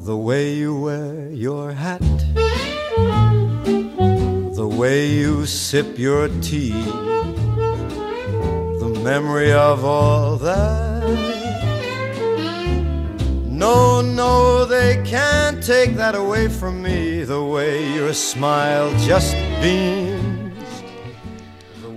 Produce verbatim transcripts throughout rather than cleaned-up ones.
The way you wear your hat, the way you sip your tea, the memory of all that. No, no, they can't take that away from me. The way your smile just beams.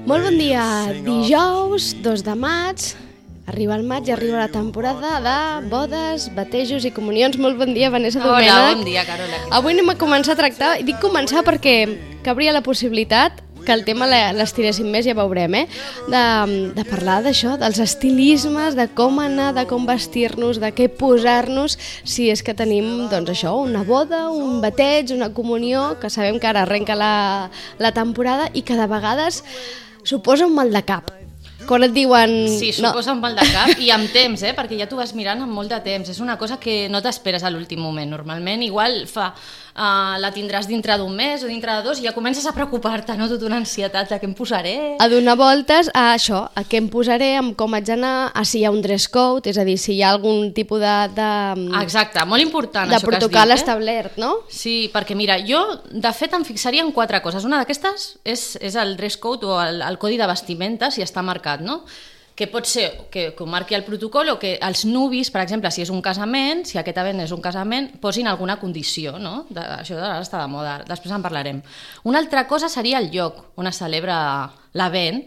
Molt bon dia, dijous, dos de maig. Arriba el maig i arriba la temporada de bodes, batejos i comunions. Molt bon dia, Vanessa Domènech. Hola, bon dia, Carola. Avui anem a començar a tractar, i dic començar perquè cabria la possibilitat que el tema l'estiréssim més, ja veurem, eh? de, de parlar d'això, dels estilismes, de com anar, de com vestir-nos, de què posar-nos, si és que tenim, doncs això, una boda, un bateig, una comunió, que sabem que ara arrenca la, la temporada i que de vegades suposa un mal de cap. Quan et diuen... Sí, suposa no. un mal de cap i amb temps, eh? Perquè ja t'ho vas mirant amb molt de temps. És una cosa que no t'esperes a l'últim moment. Normalment igual fa, uh, la tindràs dintre d'un mes o dintre de dos i ja comences a preocupar-te, no? Tota una ansietat de què em posaré. A donar voltes a això, a què em posaré, amb com haig d'anar, a si hi ha un dress code, és a dir, si hi ha algun tipus de... de Exacte, molt important de això que has dit. De protocol eh? establert, no? Sí, perquè mira, jo de fet em fixaria en quatre coses. Una d'aquestes és, és el dress code o el, el codi de vestimenta, si està marcat, no? Que pot ser que, que ho marqui el protocol o que els nuvis, per exemple, si és un casament, si aquest event és un casament, posin alguna condició, no? De, això ara està de moda, després en parlarem. Una altra cosa seria el lloc on es celebra l'event,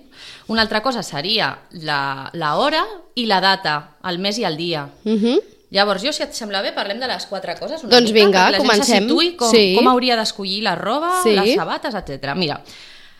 una altra cosa seria la, la hora i la data, el mes i el dia. Mhm. Llavors, jo, si et sembla bé, parlem de les quatre coses. Una doncs mica, vinga, perquè la comencem. gent se situï com, sí. com hauria d'escollir la roba, sí. les sabates, etcètera. Mira,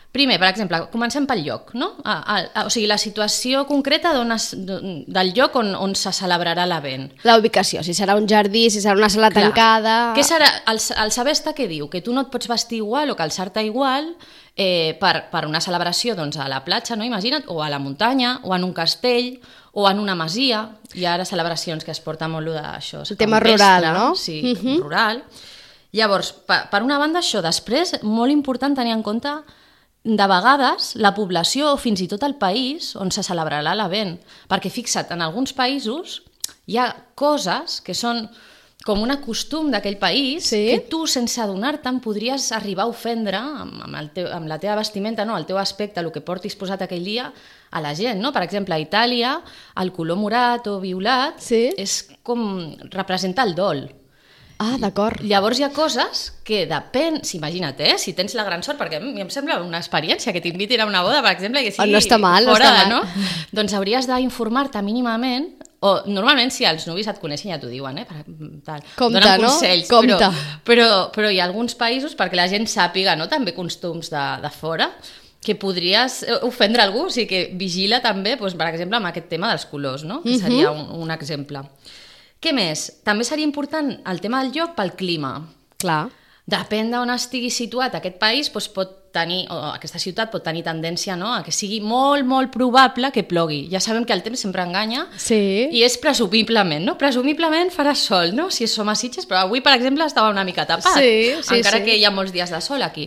primer, per exemple, comencem pel lloc, no? A, a, a, o sigui, la situació concreta es, del lloc on, on se celebrarà l'event. La ubicació, si serà un jardí, si serà una sala Clar. tancada... Què serà? El, el saber està què diu? Que tu no et pots vestir igual o calçar-te igual eh, per, per una celebració doncs, a la platja, no? Imagina't, o a la muntanya, o en un castell, o en una masia. Hi ha ara celebracions que es porta molt d'això. El tema rural, vestre, no? Sí, uh-huh. rural. Llavors, per, per una banda això, després, molt important tenir en compte de vegades la població o fins i tot el país on se celebrarà l'event, perquè fixa't, en alguns països hi ha coses que són com un costum d'aquell país sí? que tu sense adonar-te'n podries arribar a ofendre amb, amb, el teu, amb la teva vestimenta, no? El teu aspecte, el que portis posat aquell dia a la gent, no? Per exemple, a Itàlia el color morat o violat sí? és com representa el dol. Ah, d'acord. Llavors hi ha coses que depèn, si imagina't, eh, si tens la gran sort, perquè a mi em sembla una experiència que t'invitin a una boda, per exemple, que sigui oh, no està mal, fora, no està no? mal. Doncs hauries d'informar-te mínimament, o normalment si els nuvis et coneixen ja t'ho diuen, eh? Per, tal. Compte, donen no? consells, Compte. Però, però, però hi ha alguns països perquè la gent sàpiga, no? També costums de, de fora, que podries ofendre algú, o sigui que vigila també, doncs, per exemple, amb aquest tema dels colors, no? Que seria un, un exemple. Què més? També seria important el tema del lloc pel clima. Clar. Depèn d'on estigui situat aquest país, doncs pot tenir, o aquesta ciutat pot tenir tendència, no?, a que sigui molt, molt probable que plogui. Ja sabem que el temps sempre enganya sí. i és presumiblement, no? Presumiblement farà sol, no?, si som a Sitges, però avui, per exemple, estava una mica tapat, sí, sí, encara sí. que hi ha molts dies de sol aquí.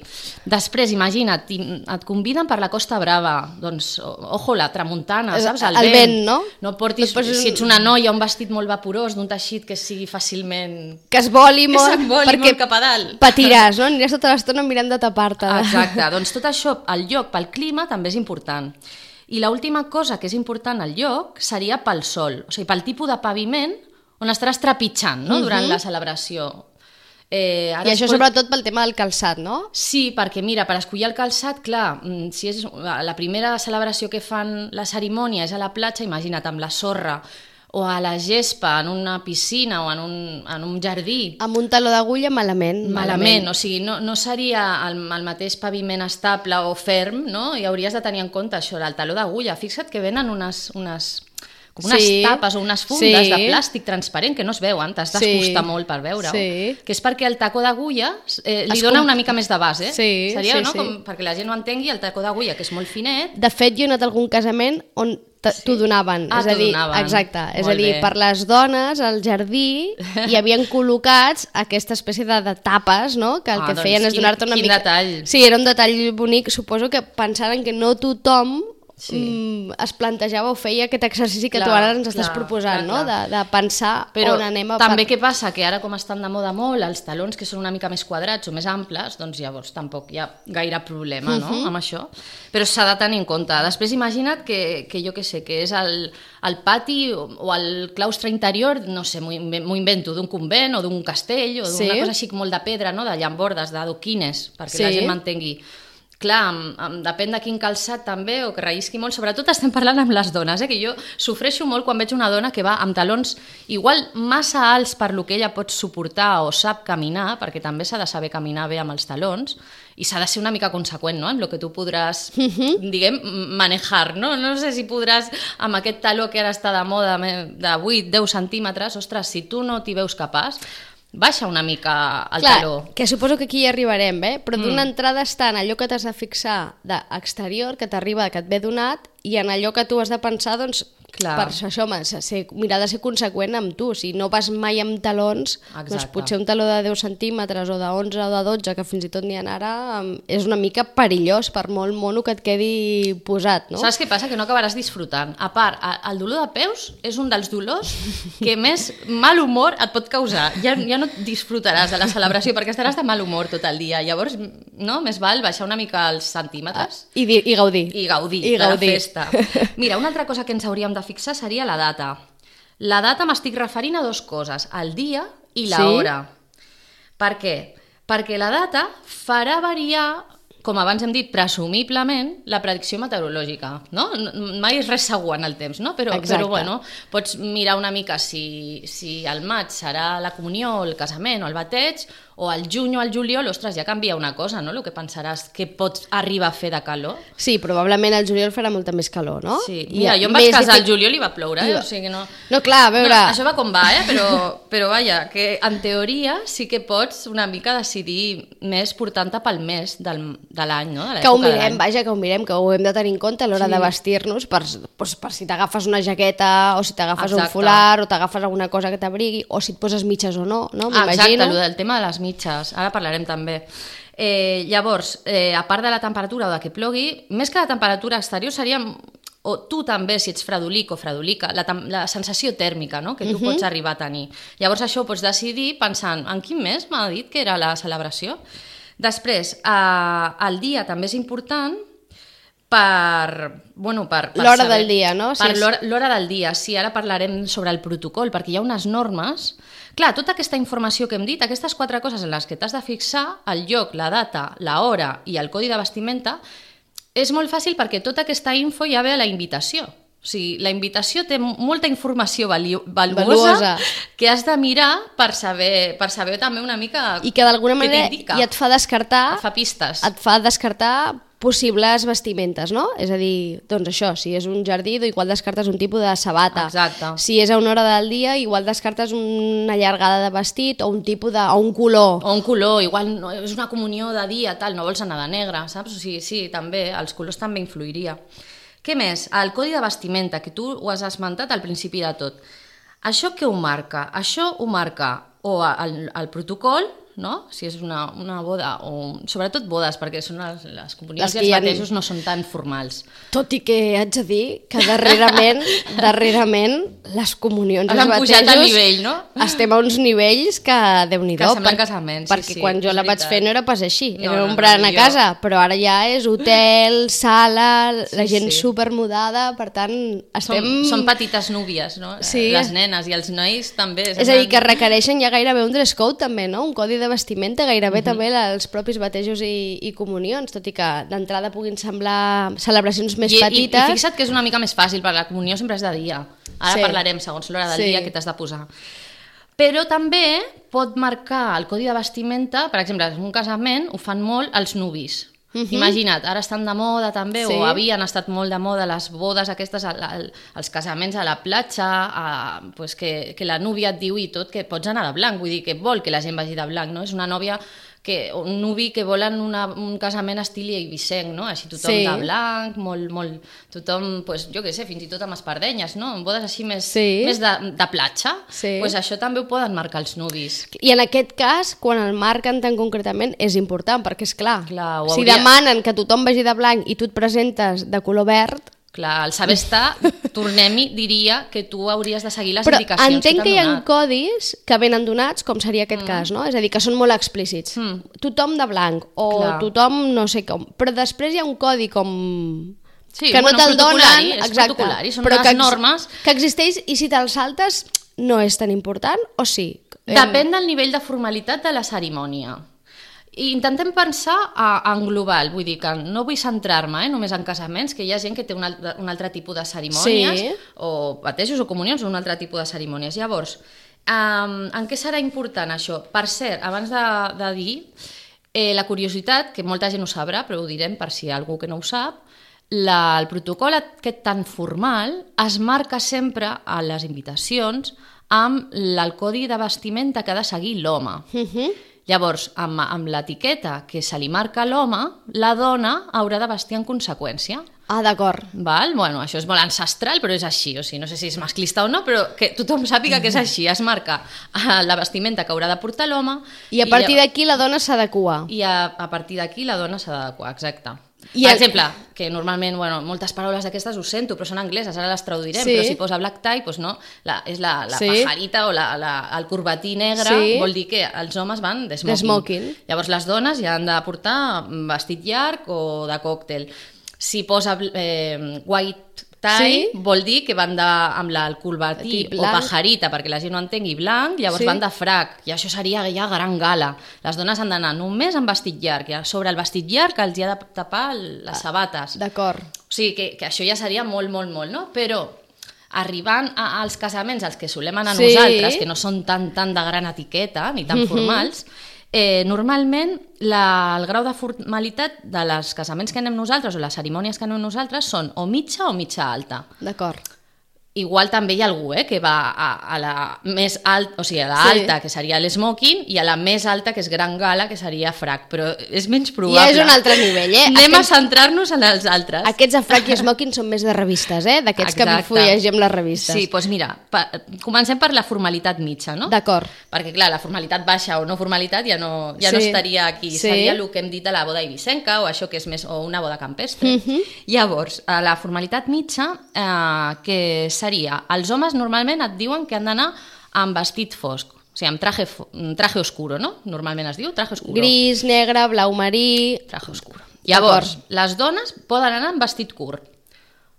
Després, imagina't, et conviden per la Costa Brava, doncs, ojo, la tramuntana, saps? El, el vent, no? No portis, no posis... si ets una noia, un vestit molt vaporós, d'un teixit que sigui fàcilment... Que es voli molt, que voli perquè molt cap a dalt. Patiràs, no? Aniràs tota l'estona mirant de tapar-te. Exacte, doncs tot això, el lloc, pel clima, també és important. I l'última cosa que és important al lloc seria pel sol, o sigui, pel tipus de paviment on estaràs trepitjant, no?, durant uh-huh. la celebració. Eh, ara I això pot... sobretot pel tema del calçat, no? Sí, perquè mira, per escollir el calçat, clar, si és la primera celebració que fan la cerimònia és a la platja, imagina't, amb la sorra, o a la gespa, en una piscina o en un, en un jardí. Amb un taló d'agulla, malament. Malament, malament. O sigui, no, no seria el, el mateix paviment estable o ferm, no? I hauries de tenir en compte això, el taló d'agulla. Fixa't que venen unes... unes com unes sí. tapes o unes fundes sí. de plàstic transparent que no es veuen, t'has d'acostar sí. molt per veure-ho, sí. que és perquè el tacó d'agulla eh, li es dona com... una mica més de base, eh? sí, seria, sí, no? Sí. Com, perquè la gent no entengui, el tacó d'agulla, que és molt finet. De fet, jo he anat a algun casament on sí. t'ho donaven, ah, és a dir, donaven. exacte, és molt a dir, bé. per les dones al jardí hi havien col·locats aquesta espècie de, de tapes, no? Que el ah, que doncs feien és donar-te una quin mica... detall. Sí, era un detall bonic, suposo que pensaren que no tothom sí. mm, es plantejava o feia aquest exercici que clar, tu ara ens estàs clar, proposant, clar, no? Clar. De, de pensar però on anem a... també què passa? Que ara com estan de moda molt els talons que són una mica més quadrats o més amples, doncs llavors tampoc hi ha gaire problema, no? Uh-huh. Amb això. Però s'ha de tenir en compte. Després imagina't que, que jo què sé, que és el, el pati o, o el claustre interior, no sé, m'ho invento, d'un convent o d'un castell o d'una sí. cosa així molt de pedra, no? De llambordes, d'adoquines, perquè sí. la gent m'entengui. Clar, amb, amb, depèn de quin calçat també, o que rellisqui molt, sobretot estem parlant amb les dones, eh? Que jo sofreixo molt quan veig una dona que va amb talons igual massa alts per lo que ella pot suportar o sap caminar, perquè també s'ha de saber caminar bé amb els talons, i s'ha de ser una mica conseqüent, no?, amb el que tu podràs, uh-huh. diguem, manejar, no? No sé si podràs, amb aquest taló que ara està de moda de vuit deu centímetres, ostres, si tu no t'hi veus capaç, baixa una mica el Clar, taló. Que suposo que aquí hi arribarem, eh? Però d'una mm. entrada està en allò que t'has de fixar d'exterior, que t'arriba, que et ve donat, i en allò que tu has de pensar, doncs, Clar. per això, ser, mirar de ser conseqüent amb tu. Si no vas mai amb talons, Exacte. doncs potser un taló de deu centímetres o de onze o de dotze, que fins i tot n'hi ha ara, és una mica perillós per molt mono que et quedi posat, no? Saps què passa? Que no acabaràs disfrutant. A part, el dolor de peus és un dels dolors que més mal humor et pot causar. Ja, ja no disfrutaràs de la celebració perquè estaràs de mal humor tot el dia. Llavors, no? Més val baixar una mica els centímetres. I, i gaudir. I gaudir I de gaudir. la festa. Mira, una altra cosa que ens hauríem de fixar seria la data. La data m'estic referint a dues coses, el dia i l'hora. Sí? Per què? Perquè la data farà variar, com abans hem dit, presumiblement, la predicció meteorològica, no? Mai és res segur en el temps, no? Però, però bueno, pots mirar una mica si, si al maig serà la comunió, el casament o el bateig, o al juny o al juliol, ostres, ja canvia una cosa, no? El que pensaràs que pots arribar a fer de calor. Sí, probablement al juliol farà molta més calor, no? Sí, mira, jo em vaig casar al juliol i va ploure, eh? O sigui que no... No, clar, a veure... No, això va com va, eh? Però, però vaja, que en teoria sí que pots una mica decidir més portant-te pel mes del, de l'any, no? De que ho mirem, vaja, que ho mirem, que ho hem de tenir en compte a l'hora Sí. de vestir-nos per, doncs, per si t'agafes una jaqueta o si t'agafes un Exacte. folar o t'agafes alguna cosa que t'abrigui o si et poses mitges o no, no? Ah, exacte, M'imagino. el del tema de les mitges, ara parlarem també. Eh, llavors, eh, a part de la temperatura o de que plogui, més que la temperatura exterior seria, o tu també, si ets fredolic o fredolica, la, la sensació tèrmica, no?, que tu uh-huh. pots arribar a tenir. Llavors això ho pots decidir pensant en quin mes m'ha dit que era la celebració. Després, eh, el dia també és important per... Bueno, per, per l'hora saber, del dia, no? Per si és... l'hora, l'hora del dia, sí, ara parlarem sobre el protocol, perquè hi ha unes normes. Clar, tota aquesta informació que hem dit, aquestes quatre coses en les que t'has de fixar, el lloc, la data, l'hora i el codi de vestimenta, és molt fàcil perquè tota aquesta info ja ve a la invitació. O sigui, la invitació té molta informació valuosa, valuosa que has de mirar per saber, per saber també una mica i que d'alguna manera ja et fa descartar... Et fa pistes. Et fa descartar possibles vestimentes, no? És a dir, doncs això, si és un jardí, igual descartes un tipus de sabata. Exacte. Si és a una hora del dia, igual descartes una llargada de vestit o un tipus de... o un color. O un color, igual no, és una comunió de dia, tal, no vols anar de negre, saps? O sigui, sí, també, els colors també influiria. Què més? El codi de vestimenta, que tu ho has esmentat al principi de tot. Això què ho marca? Això ho marca o el, el protocol, no? Si és una, una boda, o sobretot bodes, perquè són les, les comunions i els batejos no són tan formals. Tot i que haig de dir que darrerament, darrerament les comunions i els batejos al nivell, no? estem a uns nivells que Déu-n'hi-do. Que semblen casaments, perquè sí, sí, quan jo la vaig veritat. fer no era pas així, No, era no, un no, berenar a jo- casa, però ara ja és hotel, sala, la Sí, gent sí. supermudada, per tant estem... Són, són petites núvies, no? Sí. Les nenes i els nois també. És a dir, que requereixen ja gairebé un dress code també, no? Un codi de vestimenta, gairebé uh-huh. també els propis batejos i, i comunions, tot i que d'entrada puguin semblar celebracions més I, petites. I, I fixa't que és una mica més fàcil, perquè la comunió sempre és de dia. Ara Sí. parlarem, segons l'hora del Sí. dia, que t'has de posar. Però també pot marcar el codi de vestimenta, per exemple, en un casament ho fan molt els nuvis. Uh-huh. Imagina't, ara estan de moda també, Sí. o havien estat molt de moda les bodes aquestes, al, al, els casaments a la platja, a, pues que, que la núvia et diu i tot que pots anar de blanc, vull dir que vol que la gent vagi de blanc, no? És una nòvia que, un nuvi que volen una, un casament estil eivissenc, no? Així tothom Sí. de blanc, molt, molt, tothom, pues, jo què sé, fins i tot amb espardenyes, no? En bodes així més, Sí. més de, de platja, Sí. pues això també ho poden marcar els nuvis. I en aquest cas, quan el marquen tan concretament, és important, perquè és clar, Clar, ho si hauria- demanen que tothom vagi de blanc i tu et presentes de color verd, Clar, el saber estar, tornem-hi, diria que tu hauries de seguir les Però indicacions que entenc t'han que hi ha donat. codis que venen donats, com seria aquest mm. cas, no? És a dir, que són molt explícits. Mm. Tothom de blanc, o Clar. tothom no sé com. Però després hi ha un codi com... Sí, que no bueno, te'l protocolari, donen, és exacte, protocolari, són però unes que, ex- normes. que existeix i si te'l saltes no és tan important, o sí? Depèn del nivell de formalitat de la cerimònia. I intentem pensar a, en global, vull dir que no vull centrar-me eh, només en casaments, que hi ha gent que té un altre, un altre tipus de cerimònies, Sí. o batejos o comunions, o un altre tipus de cerimònies. Llavors, um, en què serà important això? Per cert, abans de, de dir, eh, la curiositat, que molta gent ho sabrà, però ho direm per si hi ha algú que no ho sap, la, el protocol aquest tan formal es marca sempre a les invitacions amb el codi de vestimenta que ha de seguir l'home. Uh-huh. Llavors, amb, amb l'etiqueta que se li marca a l'home, la dona haurà de vestir en conseqüència. Ah, d'acord. Val? Bueno, això és molt ancestral, però és així. O sigui, no sé si és masclista o no, però que tothom sàpiga que és així. Es marca la vestimenta que haurà de portar l'home. I a partir d'aquí la dona s'adequa. I a, a partir d'aquí la dona s'ha d'adequar, exacte. I per el... exemple, que normalment, bueno, moltes paraules d'aquestes ho sento, però són angleses, ara les traduirem, Sí. però si posa black tie, doncs no, la, és la, la Sí. pajarita o la, la, el corbatí negre, Sí. vol dir que els homes van de smoking. De smoking. Llavors les dones ja han de portar vestit llarg o de còctel. Si posa eh, white tie, Sí. vol dir que van de, amb la, el corbatí Tip o blanc. pajarita, perquè la gent no entengui, blanc, llavors Sí. van de frac, i això seria ja gran gala. Les dones han d'anar només amb vestit llarg, i sobre el vestit llarg els hi ha de tapar les sabates. D'acord. O sigui, que, que això ja seria molt, molt, molt, no? Però arribant a, als casaments als que solem anar Sí. nosaltres, que no són tan, tan de gran etiqueta, ni tan Mhm. formals, eh, normalment la, el grau de formalitat de les casaments que anem nosaltres o les cerimònies que anem nosaltres són o mitja o mitja alta. D'acord. Igual també hi ha algú eh, que va a, a la més alta, o sigui, a la Sí. alta, que seria l'smoking, i a la més alta, que és gran gala, que seria frac, però és menys Ja probable. és un altre nivell, eh? Anem Aquests- a centrar-nos en els altres. Aquests de frac i smoking són més de revistes, eh? D'aquests que Exacte. fullegem les revistes. Sí, doncs mira, pa, comencem per la formalitat mitja, no? D'acord. Perquè, clar, la formalitat baixa o no formalitat ja no, ja Sí. no estaria aquí. Sí. Seria el que hem dit de la boda eivissenca o això que és més, o una boda campestre. Mhm. Llavors, a la formalitat mitja, eh, que seria, els homes normalment et diuen que han d'anar amb vestit fosc, o sigui, amb traje, fo- traje oscuro, no? Normalment es diu traje oscuro. Gris, negre, blau marí... Traje oscuro. Llavors, les dones poden anar amb vestit curt.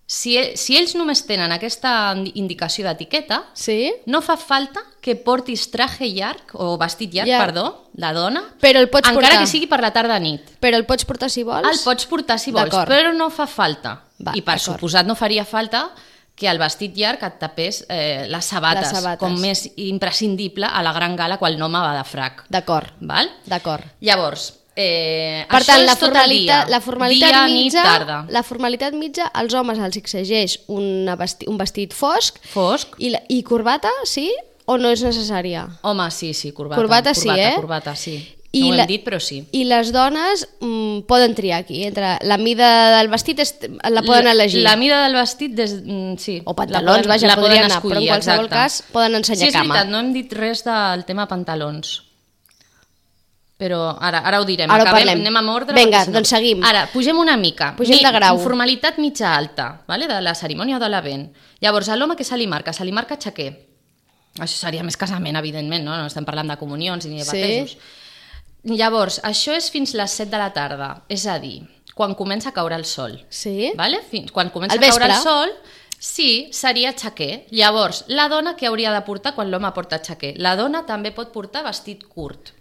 Si, si ells només tenen aquesta indicació d'etiqueta, Sí? no fa falta que portis traje llarg, o vestit llarg, Llarg. perdó, la dona, Però el pots encara portar. que sigui per la tarda nit. Però el pots portar si vols? El pots portar si vols, D'acord. però no fa falta. Va, I per d'acord. suposat no faria falta que el vestit llarg et tapés eh, les, sabates, Les sabates. com més imprescindible a la gran gala quan l'home va de frac. D'acord, Val? d'acord. Llavors, eh, Per això tant, és la tot el formalitat, dia. la formalitat dia, mitja, nit, tarda. la formalitat mitja, als homes els exigeix una vesti, un vestit fosc Fosc. i, la, i corbata, sí? O no és necessària? Home, sí, sí, corbata. Corbata sí, corbata, eh? Corbata, sí. I no ho la- hem dit, però sí. I les dones mm, poden triar aquí, entre la mida del vestit és, la poden elegir. La, la mida del vestit, des, mm, sí. O la pantalons, poden- vaja, la podrien poden anar, escollir, però en qualsevol exacte. cas poden ensenyar sí, és cama. veritat, no hem dit res del tema pantalons. Però ara, ara ho direm. Ara ho Acabem, parlem. anem amb ordre. Vinga, perquè si no- doncs seguim. Ara, pugem una mica. Pugem de grau. Formalitat mitja alta, vale? De la cerimònia o de l'event. Llavors, a l'home què se li marca? Se li marca xaquer. Això seria més casament, evidentment, no? No estem parlant de comunions ni de Sí. batejos. Llavors, això és fins les set de la tarda, és a dir, quan comença a caure el sol. Sí? Vale? Fins, quan comença Al a caure vespre. el sol, sí, seria xaquer. Llavors, la dona què hauria de portar quan l'home porta xaquer? La dona també pot portar vestit curt.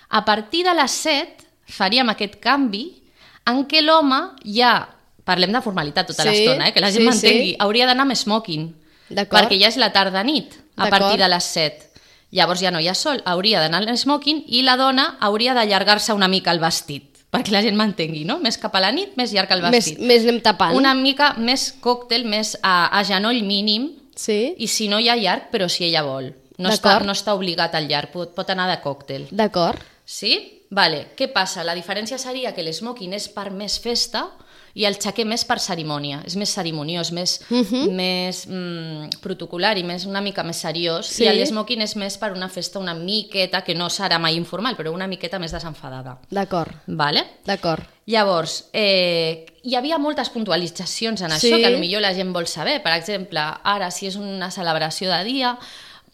A partir de les set faríem aquest canvi en què l'home ja, parlem de formalitat tota Sí, l'estona, eh, que la gent sí, m'entengui, sí. hauria d'anar amb smoking, D'acord. perquè ja és la tarda-nit, a D'acord. partir de les set. Llavors ja no hi ha sol, hauria d'anar amb smoking i la dona hauria d'allargar-se una mica el vestit, perquè la gent m'entengui, no? Més cap a la nit, més llarg el Més, vestit. més anem tapant. Una mica més còctel, més a, a genoll mínim, Sí? i si no hi ha llarg, però si ella vol. No està, D'acord. no està obligat al llarg, pot, pot anar de còctel. D'acord. Sí? Vale. Què passa? La diferència seria que l'smoking és per més festa i el xaquer més per cerimònia, és més cerimoniós, més, uh-huh. més mm, protocolar i més, una mica més seriós, sí. i l'smoking és més per una festa una miqueta, que no serà mai informal, però una miqueta més desenfadada. D'acord. Vale? D'acord. Llavors, eh, hi havia moltes puntualitzacions en això, sí. que potser la gent vol saber. Per exemple, ara, si és una celebració de dia,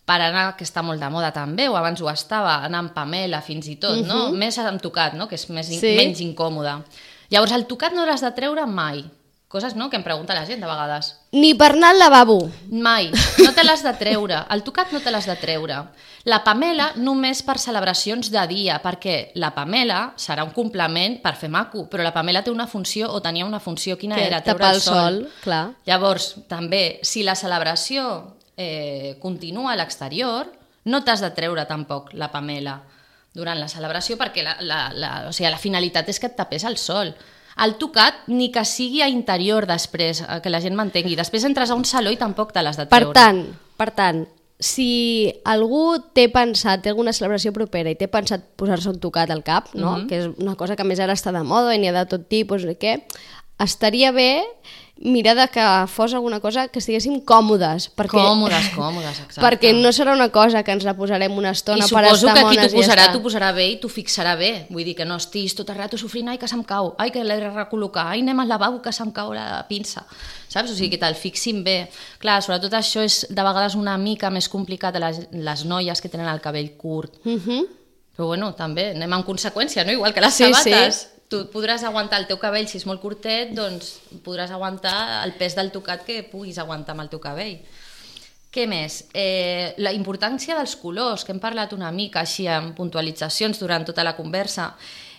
per anar, que està molt de moda també, o abans ho estava, anar amb pamela fins i tot, uh-huh. no? Més amb tocat, no? Que és més, sí. menys incòmode. Llavors, el tocat no l'has de treure mai. Coses, no?, que em pregunta la gent de vegades. Ni per anar al lavabo. Mai. No te l'has de treure. El tocat no te l'has de treure. La pamela només per celebracions de dia, perquè la pamela serà un complement per fer maco, però la pamela té una funció, o tenia una funció, quina que era? Treure el sol. sol. Clar. Llavors, també, si la celebració eh, continua a l'exterior, no t'has de treure tampoc la pamela durant la celebració, perquè la, la, la, o sigui, la finalitat és que et tapés el sol. El tocat, ni que sigui a interior després, que la gent m'entengui. Després entres a un saló i tampoc te l'has de treure. Per tant, per tant, si algú té pensat, té alguna celebració propera i té pensat posar-se un tocat al cap, no? Mm-hmm. Que és una cosa que a més ara està de moda i n'hi ha de tot tipus, què, estaria bé mirar de que fos alguna cosa que estiguéssim còmodes. Perquè, còmodes, còmodes, exacte. Perquè no serà una cosa que ens la posarem una estona I per estar mones i ja està. I suposo que qui t'ho posarà, t'ho posarà bé i t'ho fixarà bé. Vull dir que no estiguis tot el rato sofrint, ai, que se'm cau, ai, que l'he de recol·locar, ai, anem al lavabo, que se'm cau la pinça. Saps? O sigui, que te'l fixin bé. Clar, sobretot això és de vegades una mica més complicat a les, les noies que tenen el cabell curt. Mhm. Però bueno, també anem en conseqüència, no? Igual que les sí, sabates. Sí. Tu podràs aguantar el teu cabell, si és molt curtet, doncs podràs aguantar el pes del tocat que puguis aguantar amb el teu cabell. Què més? Eh, la importància dels colors, que hem parlat una mica així amb puntualitzacions durant tota la conversa.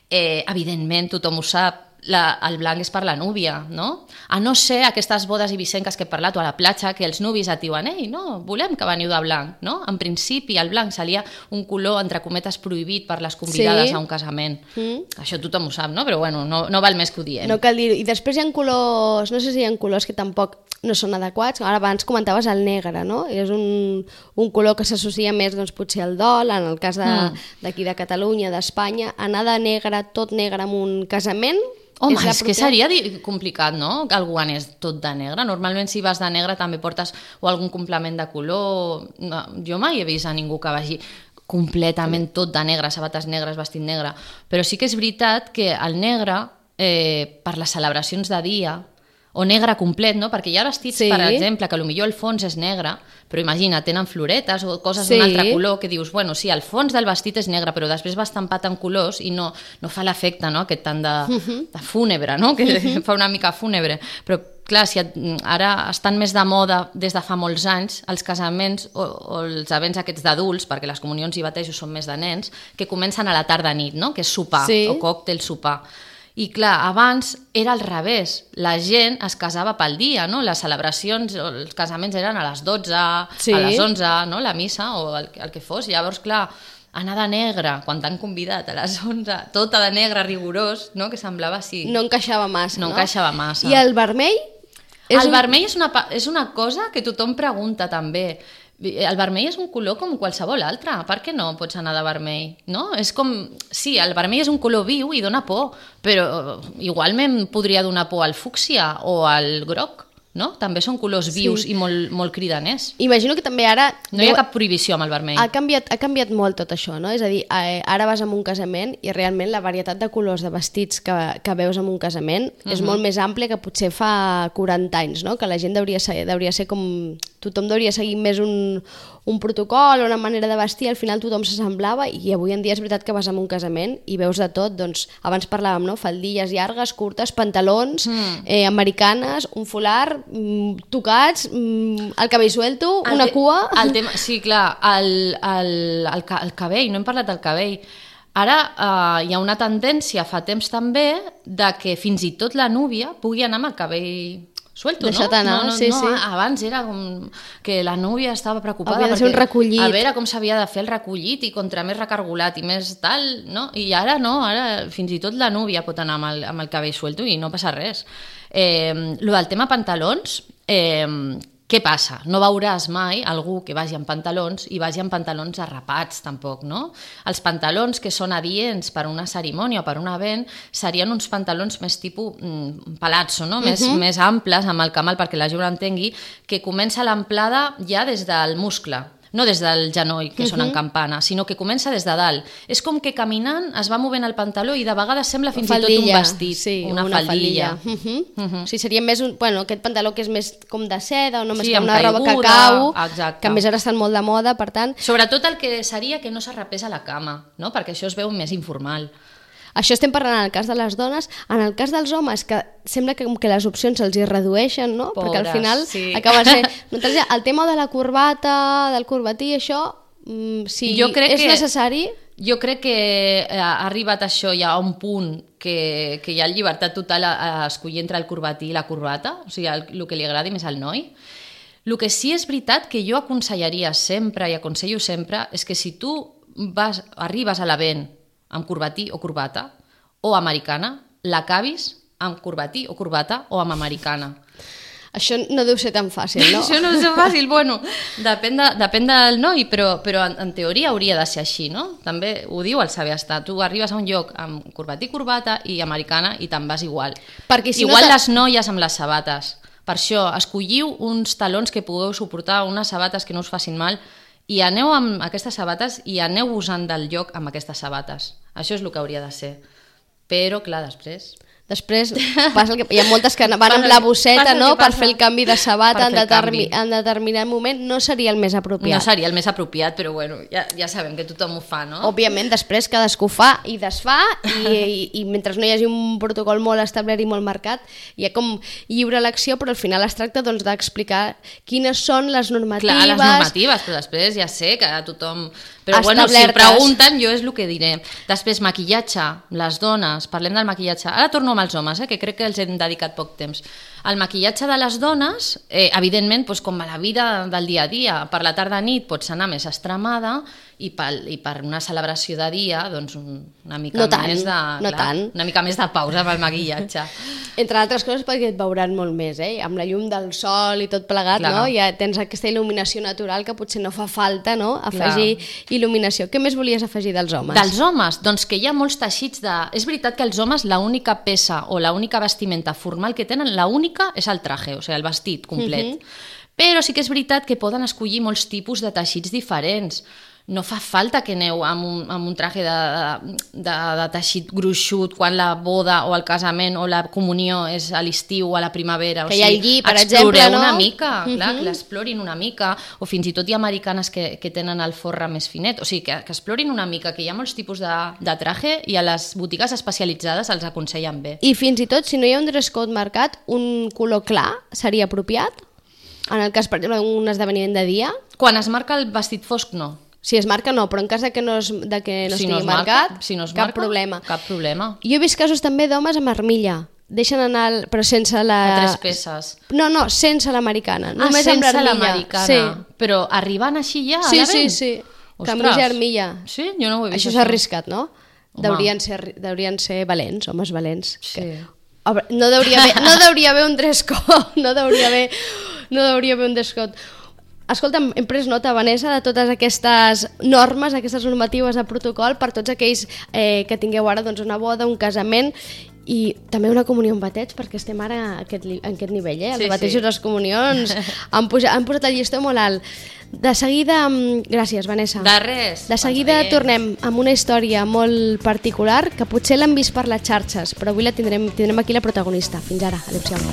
Eh, evidentment, tothom ho sap, la, el blanc és per la núvia, no? A no ser aquestes bodes ibicenques que he parlat o a la platja, que els nuvis et diuen ei, no, volem que veniu de blanc, no? En principi el blanc seria un color, entre cometes, prohibit per les convidades sí. a un casament. Mm. Això tothom ho sap, no? Però bueno, no, no val més que ho diem. No cal dir-ho. I després hi ha colors, no sé si hi ha colors que tampoc no són adequats. Ara abans comentaves el negre, no? És un, un color que s'associa més, doncs, potser al dol, en el cas d'aquí de, de Catalunya, d'Espanya. Anar de negre, tot negre, en un casament... Home, és, és que seria complicat, no?, que algú anés tot de negre. Normalment, si vas de negre, també portes o algun complement de color. No, jo mai he vist a ningú que vagi completament tot de negre, sabates negres, vestit negre. Però sí que és veritat que el negre, eh, per les celebracions de dia, o negre complet, no? Perquè hi ha vestits, sí. per exemple, que potser el fons és negre, però imagina, tenen floretes o coses sí. d'un altre color, que dius, bueno, sí, el fons del vestit és negre, però després va estampat en colors i no, no fa l'efecte, no?, aquest tant de, uh-huh. de fúnebre, no?, que uh-huh. fa una mica fúnebre. Però, clar, si et, ara estan més de moda des de fa molts anys els casaments o, o els events aquests d'adults, perquè les comunions i batejos són més de nens, que comencen a la tarda-nit, no?, que és sopar, sí. o còctel sopar. I clar, abans era al revés, la gent es casava pel dia, no? Les celebracions, els casaments eren a les dotze, sí. a les onze, no? La missa o el, el que fos. Llavors, clar, anar de negre, quan t'han convidat a les onze, tota de negre rigorós, no? Que semblava així... No encaixava massa, no? No encaixava massa. I el vermell? El un... vermell és una, és una cosa que tothom pregunta també. El vermell és un color com qualsevol altre, per què no pots anar de vermell? No? És com... Sí, el vermell és un color viu i dona por, però igualment podria donar por al fúcsia o al groc, no? També són colors vius sí. i molt, molt cridaners. Imagino que també ara... No hi ha cap prohibició amb el vermell. Ha canviat, ha canviat molt tot això, no? És a dir, ara vas a un casament i realment la varietat de colors de vestits que, que veus en un casament uh-huh. és molt més àmplia que potser fa quaranta anys, no? Que la gent hauria ser, hauria ser com... Tothom hauria seguir més un, un protocol o una manera de vestir, al final tothom s'assemblava i avui en dia és veritat que vas a un casament i veus de tot, doncs abans parlàvem, no? Faldilles llargues, curtes, pantalons, mm. eh, americanes, un folar, mm, tocats, mm, el cabell suelto, el una cua... El tema, sí, clar, el, el, el, el cabell, no hem parlat del cabell. Ara eh, hi ha una tendència, fa temps també, de que fins i tot la núvia pugui anar amb el cabell... Suelto, deixat anar, no? No, sí, no, sí. Abans era com que la núvia estava preocupada havia de ser un recollit. A veure com s'havia de fer el recollit i contra més recargolat i més tal, no? I ara no, ara fins i tot la núvia pot anar amb el, amb el cabell suelto i no passa res. Eh, lo del tema pantalons, eh, Què passa? No veuràs mai algú que vagi amb pantalons i vagi amb pantalons arrapats, tampoc, no? Els pantalons que són adients per una cerimònia o per un event serien uns pantalons més tipus mm, palazzo, no? Més, uh-huh. més amples, amb el camal, perquè la gent ho entengui, que comença l'amplada ja des del muscle, no des del genoll, que uh-huh. són en campana, sinó que comença des de dalt. És com que caminant es va movent el pantaló i de vegades sembla fins faldilla, i tot un vestit, sí, una, una faldilla. faldilla. Uh-huh. Uh-huh. Sí, seria més un, bueno, aquest pantaló que és més com de seda o no, més sí, com una caiguda, roba cacau, exacte. que a més ara estan molt de moda, per tant... Sobretot el que seria que no s'arrapés a la cama, no? Perquè això es veu més informal. Això estem parlant en el cas de les dones. En el cas dels homes, que sembla que, que les opcions se'ls hi redueixen, no? Pobres, perquè al final sí. acaba sent... El tema de la corbata, del corbatí, això, si jo crec és que, necessari... Jo crec que ha arribat això ja a un punt que, que hi ha llibertat total a, a escollir entre el corbatí i la corbata, o sigui, el, el que li agradi més al noi. El que sí és veritat que jo aconsellaria sempre i aconsello sempre és que si tu vas, arribes a l'event amb corbatí o corbata, o americana, l'acabis amb corbatí o corbata o amb americana. Això no deu ser tan fàcil, no? Això no deu ser fàcil, bueno, depèn, de, depèn del noi, però, però en, en teoria hauria de ser així, no? També ho diu el saber estar. Tu arribes a un lloc amb corbatí, corbata i americana i te'n vas igual. Perquè si igual no les noies amb les sabates. Per això, escolliu uns talons que pugueu suportar, unes sabates que no us facin mal, i aneu amb aquestes sabates i aneu-vos-en del lloc amb aquestes sabates. Això és el que hauria de ser. Però, clar, després... Després passa el que... hi ha moltes que van amb la bosseta, no?, per fer el canvi de sabata en, determi... en determinat moment. No seria el més apropiat. No seria el més apropiat, però bueno, ja, ja sabem que tothom ho fa, no? Òbviament, després cadascú fa i desfà i, i, i mentre no hi hagi un protocol molt establert i molt marcat, hi ha com lliure elecció, però al final es tracta doncs, d'explicar quines són les normatives... Clar, les normatives, però després ja sé que tothom... Però bueno, si pregunten, jo és el que diré. Després, maquillatge, les dones, parlem del maquillatge. Ara torno amb els homes, eh, que crec que els hem dedicat poc temps. El maquillatge de les dones, eh, evidentment, doncs, com a la vida del dia a dia, per la tarda nit pots anar més extremada i per, i per una celebració de dia, doncs una mica no tant, més de... No clar, tant. Una mica més de pausa pel maquillatge. Entre altres coses perquè et veuran molt més, eh? Amb la llum del sol i tot plegat, clar. No? Ja tens aquesta il·luminació natural que potser no fa falta, no?, afegir clar. Il·luminació. Què més volies afegir dels homes? Dels homes? Doncs que hi ha molts teixits de... És veritat que els homes l'única peça o l'única vestimenta formal que tenen, l'única és el traje, o sigui, el vestit complet. Uh-huh. Però sí que és veritat que poden escollir molts tipus de teixits diferents. No fa falta que aneu amb un, amb un traje de, de, de teixit gruixut quan la boda o el casament o la comunió és a l'estiu o a la primavera. Que o sigui, hi ha el lli, per exemple, no? una mica, uh-huh. clar, que l'explorin una mica, o fins i tot hi ha americanes que, que tenen el forre més finet, o sigui, que, que explorin una mica, que hi ha molts tipus de, de traje i a les botigues especialitzades els aconsellen bé. I fins i tot, si no hi ha un dress code marcat, un color clar seria apropiat? En el cas, per exemple, d'un esdeveniment de dia? Quan es marca el vestit fosc, no. Si es marca, no, però en cas de que no, es, de que no si estigui no es marcat, marca, si no es cap marca, problema. Cap problema. Jo he vist casos també d'homes amb armilla. Deixen anar, el, però sense la... A tres peces. No, no, sense l'americana. Ah, només sense amb l'americana. Sí. Però arribant així ja sí, a l'event? Sí, sí, sí. Camisa i armilla. Sí? Jo no ho he vist. Això és arriscat, no? Deurien ser, deurien ser valents, homes valents. Sí. Que... No deuria haver, no deuria haver un dress code, no deuria haver, no deuria haver un dress code. Escolta'm, hem pres nota, Vanessa, de totes aquestes normes, aquestes normatives de protocol per tots aquells eh, que tingueu ara doncs, una boda, un casament i també una comunió amb bateig, perquè estem ara a aquest, en aquest nivell, eh? Els sí, batejos i sí. les comunions han, puja, han posat el llistó molt alt. De seguida, gràcies, Vanessa. De res. De seguida tornem amb una història molt particular que potser l'han vist per les xarxes, però avui la tindrem, tindrem aquí la protagonista. Fins ara, adéu-siau.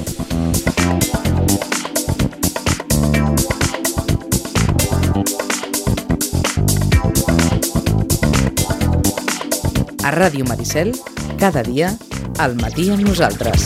A Ràdio Maricel, cada dia, al matí amb nosaltres.